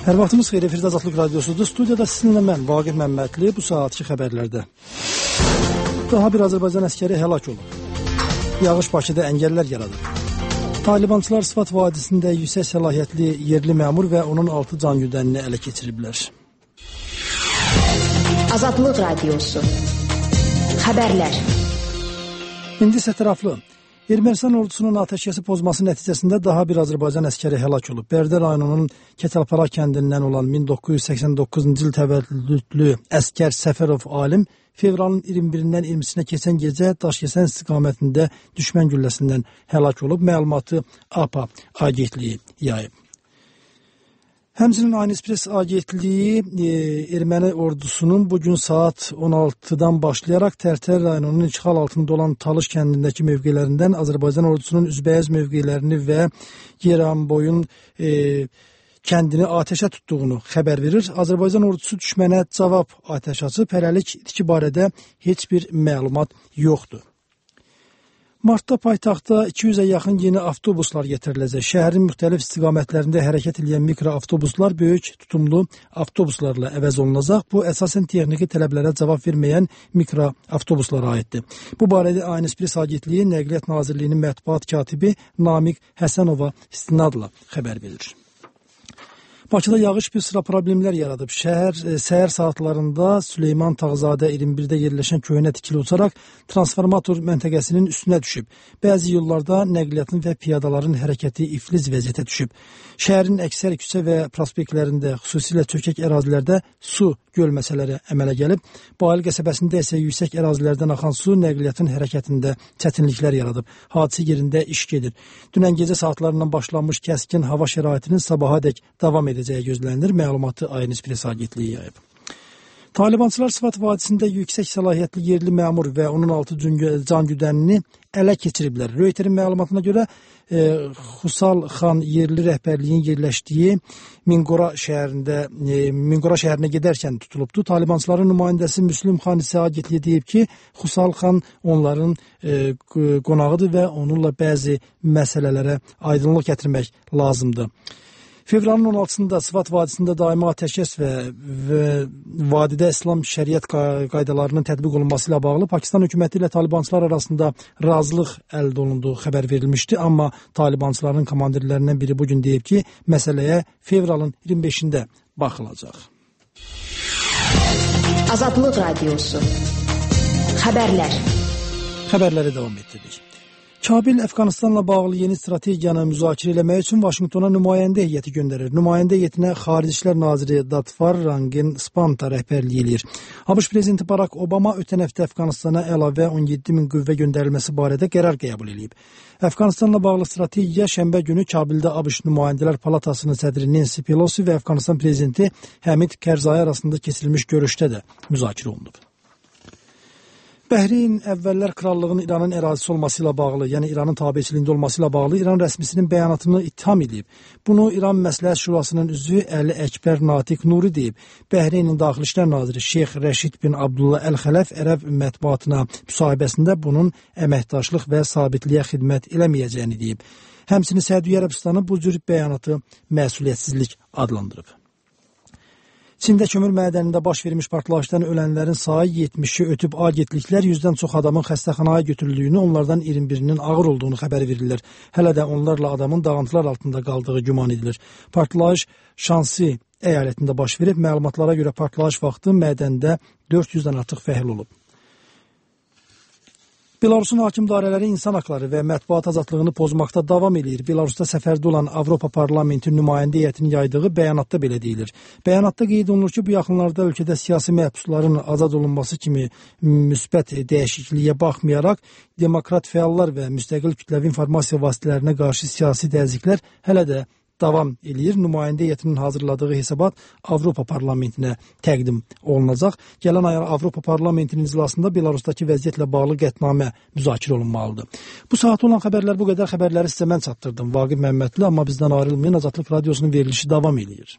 Hər vaxtımız xeyir, efirdə Azadlıq Radiosudur. Studiyada sizinlə mən, Vaqif Məmmədli, bu saatki xəbərlərdə. Daha bir Azərbaycan əskəri həlak olub. Yağış Bakıda əngəllər yaradıb. Talibançılar Sıfat vadisində yüksək səlahiyyətli yerli məmur və onun 6 can güdənini ələ keçiriblər. Azadlıq Radiosu. Xəbərlər. İndi isə tərəfli. Ermənistan ordusunun atəşkəsi pozması nəticəsində daha bir Azərbaycan əskəri həlak olub. Bərdə rayonunun Keçəlpara kəndindən olan 1989-cu il təvəllüdlü əskər Səfərov alim fevralın 21-dən 20-sinə keçən gecə Daşkəsən istiqamətində düşmən gülləsindən həlak olub. Məlumatı APA agentliyi yayıb. Həmçinin Aynı Press agentliyi erməni ordusunun bugün saat 16-dan başlayaraq Tərtər rayonunun işğal altında olan Talış kəndindəki mövqelərindən Azərbaycan ordusunun üzbəyaz mövqelərini və Yeranboyun kəndini atəşə tutduğunu xəbər verir. Azərbaycan ordusu düşmənə cavab atəş açıb. Hələlik itki barədə heç bir məlumat yoxdur. Martda paytaxtda 200-ə yaxın yeni avtobuslar getiriləcək. Şəhərin müxtəlif istiqamətlərində hərəkət edən mikroavtobuslar böyük tutumlu avtobuslarla əvəz olunacaq. Bu, əsasən texniki tələblərə cavab verməyən mikroavtobuslara aiddir. Bu barədə Aynı Press agentliyi Nəqliyyat Nazirliyinin mətbuat katibi Namiq Həsənova istinadla xəbər verir. Bakıda yağış bir sıra problemlər yaradıb. Səhər saatlarında Süleyman Tağzadə 21-də yerləşən köhnə tikili uçaraq transformator məntəqəsinin üstünə düşüb. Bəzi yollarda nəqliyyatın və piyadaların hərəkəti iflic vəziyyətə düşüb. Şəhərin əksər küçə və prospektlərində, xüsusilə çökək ərazilərdə su gölməsələri əmələ gəlib. Bayıl qəsəbəsində isə yüksək ərazilərdən axan su nəqliyyatın hərəkətində çətinliklər yaradıb. Hadisə yerində iş gedir. Dünən gecə saatlarından başlanmış kəskin hava şəraitinin sabahadək davam edəcəyi gözlənilir. Məlumatı Aynı Press agentliyi yayıb. Talibançılar Sıfat vadisində yüksək səlahiyyətli yerli məmur və onun 6 can güdənini ələ keçiriblər. Röyterin məlumatına görə Xusal xan yerli rəhbərliyin yerləşdiyi Mingora şəhərinə gedərkən tutulubdu. Talibançıların nümayəndəsi Müslüm xan isə agentliyə deyib ki, Xusal xan onların qonağıdır və onunla bəzi məsələlərə aydınlıq gətirmək lazımdır. Fevralın 16-sında Sıfat vadisində daimi atəşkəs və vadidə İslam şəriət qaydalarının tətbiq olunması ilə bağlı Pakistan hökuməti ilə Talibançılar arasında razılıq əldə olunduğu xəbər verilmişdi. Amma Talibançıların komandirlərindən biri bugün deyib ki, məsələyə fevralın 25-də baxılacaq. Azadlıq Radiosu. Xəbərlər. Xəbərləri davam etdirdik. Kabil Əfqanistanla bağlı yeni strategiyanı müzakirə eləmək üçün Vaşinqtona nümayəndə heyəti göndərir. Nümayəndə heyətinə Xarici İşlər Naziri Datfar Rangin Spanta rəhbərlik edir. ABŞ prezidenti Barack Obama ötən həftə Əfqanistana əlavə 17 min qüvvə göndərilməsi barədə qərar qəbul edib. Əfqanistanla bağlı strategiya şənbə günü Kabildə ABŞ Nümayəndələr Palatasının sədri Nancy Pelosi və Əfqanistan prezidenti Həmid Kərzai arasında keçirilmiş görüşdə də müzakirə olunub. Bəhreyn əvvəllər krallığın İranın ərazisi olması ilə bağlı, yəni İranın tabeçiliyində olması ilə bağlı İran rəsmisinin bəyanatını ittiham edib. Bunu İran Məsləhət Şurasının üzvü Əli Əkbər Natiq Nuri deyib. Bəhreynin Daxili İşlər Naziri Şeyx Rəşid bin Abdullah Əl-Xələf ərəb mətbuatına müsahibəsində bunun əməkdaşlıq və sabitliyə xidmət eləməyəcəyini deyib. Həmçinin Səudiyyə Ərəbistanı bu cür bəyanatı məsuliyyətsizlik adlandırıb. Çində kömür mədənində baş vermiş partlayışdan ölənlərin sayı 70-i ötüb. Agentliklər 100-dən çox adamın xəstəxanaya götürüldüyünü, onlardan 21-nin ağır olduğunu xəbər verirlər. Hələ də onlarla adamın dağıntılar altında qaldığı güman edilir. Partlayış Şansi əyalətində baş verib. Məlumatlara görə partlayış vaxtı mədəndə 400-dən artıq fəhl olub. Belarusun hakim dairələri insan haqları və mətbuat azadlığını pozmaqda davam edir. Belarusda səfərdə olan Avropa Parlamenti nümayəndə heyətinin yaydığı bəyanatda belə deyilir. Bəyanatda qeyd olunur ki, bu yaxınlarda ölkədə siyasi məhbusların azad olunması kimi müsbət dəyişikliyə baxmayaraq, demokrat fəallar və müstəqil kütləvi informasiya vasitələrinə qarşı siyasi təzyiqlər hələ də davam edir. Nümayəndə heyətinin hazırladığı hesabat Avropa Parlamentinə təqdim olunacaq. Gələn ay Avropa Parlamentinin iclasında Belarusdakı vəziyyətlə bağlı qətnamə müzakirə olunmalıdır. Bu saat olan xəbərlər bu qədər. Xəbərləri sizə mən çatdırdım. Vaqif Məmmədli, amma bizdən ayrılmayın. Azadlıq Radiosunun verilişi davam edir.